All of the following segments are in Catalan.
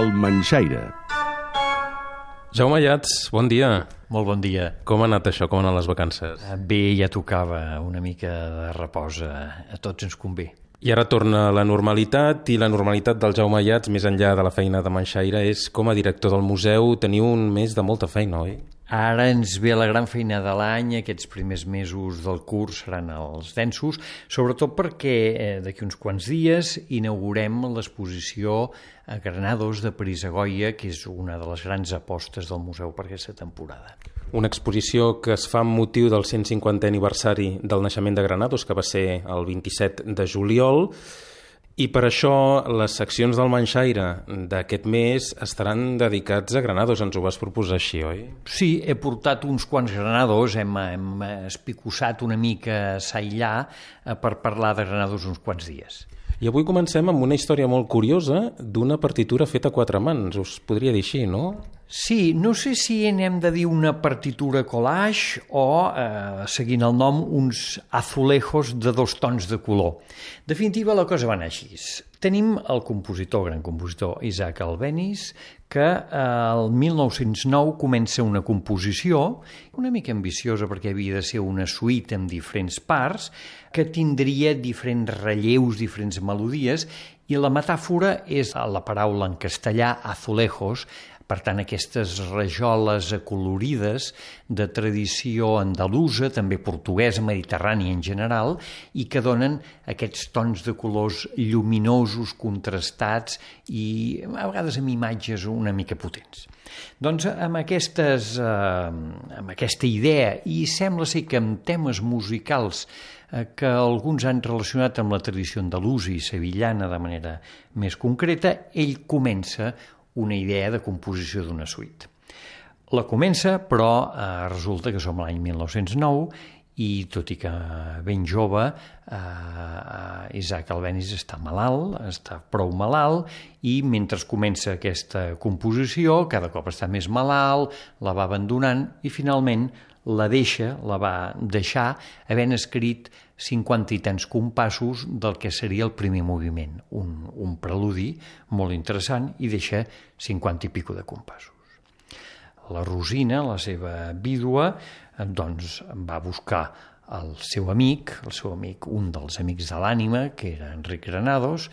El Manxaire. Jaume Ayats, bon dia. Molt bon dia. Com ha anat això? Com han anat les vacances? Bé, ja tocava una mica de repòs, a tots ens convé. I ara torna la normalitat, i la normalitat del Jaume Ayats, més enllà de la feina de Manxaire, és com a director del museu teniu un mes de molta feina, oi? Ara ens ve la gran feina de l'any, aquests primers mesos del curs seran els densos, sobretot perquè d'aquí uns quants dies inaugurem l'exposició a Granados de París a Goya, que és una de les grans apostes del museu per aquesta temporada. Una exposició que es fa amb motiu del 150è aniversari del naixement de Granados, que va ser el 27 de juliol, i per això les seccions del Manxaire d'aquest mes estaran dedicats a Granados. Ens ho vas proposar així, oi? Sí, he portat uns quants Granados, hem espicussat una mica a allà per parlar de Granados uns quants dies. I avui comencem amb una història molt curiosa d'una partitura feta a quatre mans. Us podria dir així, no? Sí, no sé si n'hem de dir una partitura collage o, seguint el nom, uns azulejos de 2 tons de color. En definitiva, la cosa va anar així. Tenim el compositor, gran compositor, Isaac Albéniz, que el 1909 comença una composició una mica ambiciosa perquè havia de ser una suite amb diferents parts que tindria diferents relleus, diferents melodies, i la metàfora és la paraula en castellà azulejos, per tant, aquestes rajoles acolorides de tradició andalusa, també portuguesa, mediterrània en general, i que donen aquests tons de colors lluminosos, contrastats i a vegades amb imatges una mica potents. Doncs amb aquesta idea, i sembla ser que amb temes musicals que alguns han relacionat amb la tradició andalusa i sevillana de manera més concreta, ell comença una idea de composició d'una suite. La comença, però resulta que som l'any 1909 i tot i que ben jove, Isaac Albéniz està malalt, està prou malalt, i mentre comença aquesta composició, cada cop està més malalt, la va abandonant i finalment la va deixar havent escrit 50 i tants compassos del que seria el primer moviment, un preludi molt interessant, i deixa 50 i pico de compassos. La Rosina, la seva vídua, doncs va buscar el seu amic, un dels amics de l'ànima, que era Enric Granados,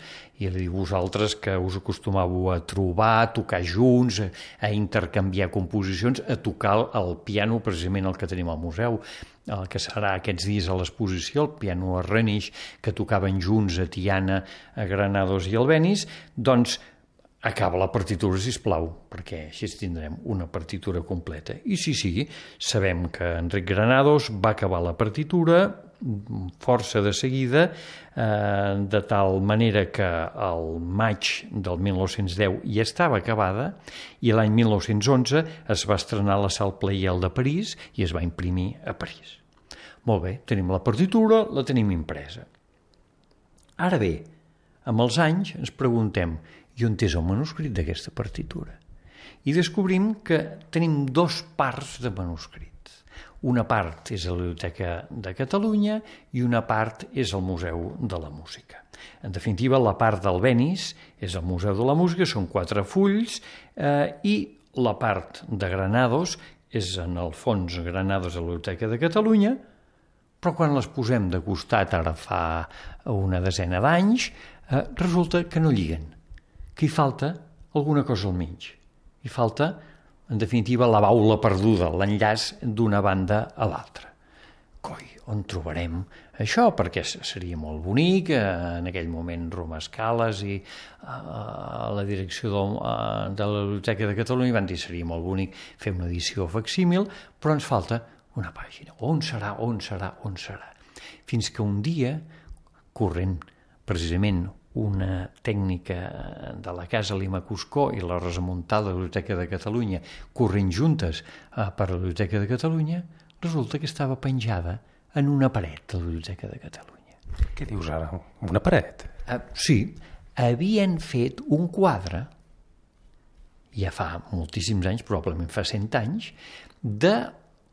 i li diu: vosaltres que us acostumàveu a trobar, a tocar junts, a intercanviar composicions, a tocar el piano, precisament el que tenim al museu, el que serà aquests dies a l'exposició, el piano a Renich, que tocaven junts a Tiana, a Granados i Albéniz, doncs acaba la partitura, sisplau, perquè així tindrem una partitura completa. I sí, sabem que Enric Granados va acabar la partitura força de seguida, de tal manera que el maig del 1910 ja estava acabada, i l'any 1911 es va estrenar a la Salle Pleyel de París i es va imprimir a París. Molt bé, tenim la partitura, la tenim impresa. Ara bé, amb els anys ens preguntem: i on és el manuscrit d'aquesta partitura? I descobrim que tenim 2 parts de manuscrits. Una part és a la Biblioteca de Catalunya i una part és al Museu de la Música. En definitiva, la part d'Albéniz és al Museu de la Música, són 4 fulls, i la part de Granados és, en el fons, Granados a la Biblioteca de Catalunya, però quan les posem de costat, ara fa una desena d'anys, resulta que no lliguen, que hi falta alguna cosa al mig. Hi falta, en definitiva, la baula perduda, l'enllaç d'una banda a l'altra. Coi, on trobarem això? Perquè seria molt bonic, en aquell moment Roma Scales i la direcció de la Biblioteca de Catalunya van dir que seria molt bonic fer una edició facsímil, però ens falta una pàgina. On serà? Fins que un dia, corrent precisament una tècnica de la Casa Lima Cuscó i la Rosa Muntal de la Biblioteca de Catalunya corrent juntes per la Biblioteca de Catalunya, resulta que estava penjada en una paret de la Biblioteca de Catalunya. Què dius ara? Una paret? Sí, havien fet un quadre, ja fa moltíssims anys, probablement fa 100 anys, de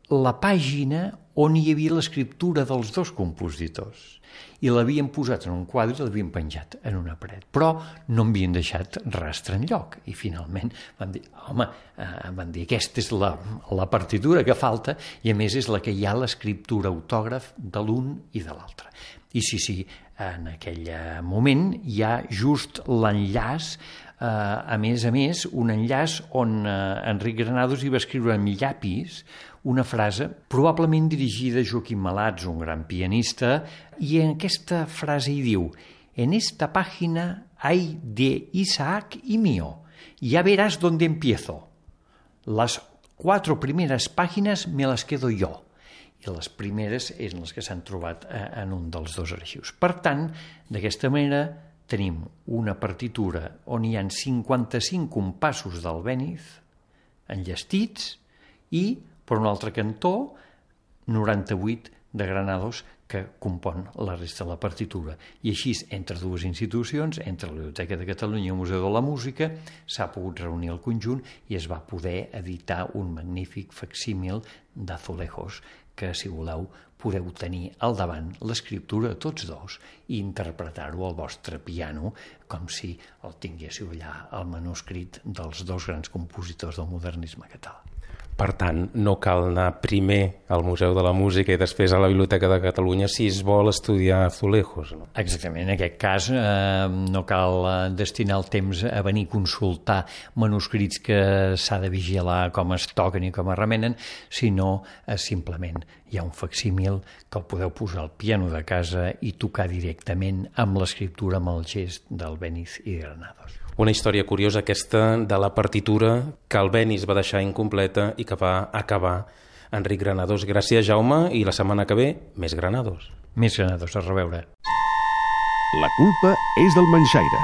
la pàgina on hi havia l'escriptura dels dos compositors. I l'havien posat en un quadre i l'havien penjat en una paret. Però no havien deixat rastre enlloc. I finalment van dir, aquesta és la partitura que falta i a més és la que hi ha l'escriptura autògraf de l'un i de l'altre. I sí, en aquell moment hi ha just l'enllaç, a més, un enllaç on Enric Granados hi va escriure amb llapis una frase probablement dirigida a Joaquim Malats, un gran pianista, i en aquesta frase hi diu: «En esta página hay de Isaac y mío. Ya verás dónde empiezo. Las 4 primeras páginas me las quedo yo». I les primeres eren les que s'han trobat en un dels dos arxius. Per tant, d'aquesta manera tenim una partitura on hi ha 55 compassos d'Albéniz enllestits i, per un altre cantó, 98 de Granados que compon la resta de la partitura. I així, entre dues institucions, entre la Biblioteca de Catalunya i el Museu de la Música, s'ha pogut reunir el conjunt i es va poder editar un magnífic facsímil d'Azulejos que, si voleu, podeu tenir al davant l'escriptura de tots dos i interpretar-ho al vostre piano com si el tinguéssiu allà al manuscrit dels dos grans compositors del modernisme català. Per tant, no cal anar primer al Museu de la Música i després a la Biblioteca de Catalunya si es vol estudiar Azulejos, no? Exactament, en aquest cas no cal destinar el temps a venir a consultar manuscrits que s'ha de vigilar com es toquen i com es remenen, sinó simplement hi ha un facsímil que el podeu posar al piano de casa i tocar directament amb l'escriptura, amb el gest d'Albéniz i Granados. Una història curiosa aquesta de la partitura que Albéniz va deixar incompleta i que va acabar Enric Granados. Gràcies, Jaume, i la setmana que ve, més Granados. Més Granados, a reveure. La culpa és del Manxaire.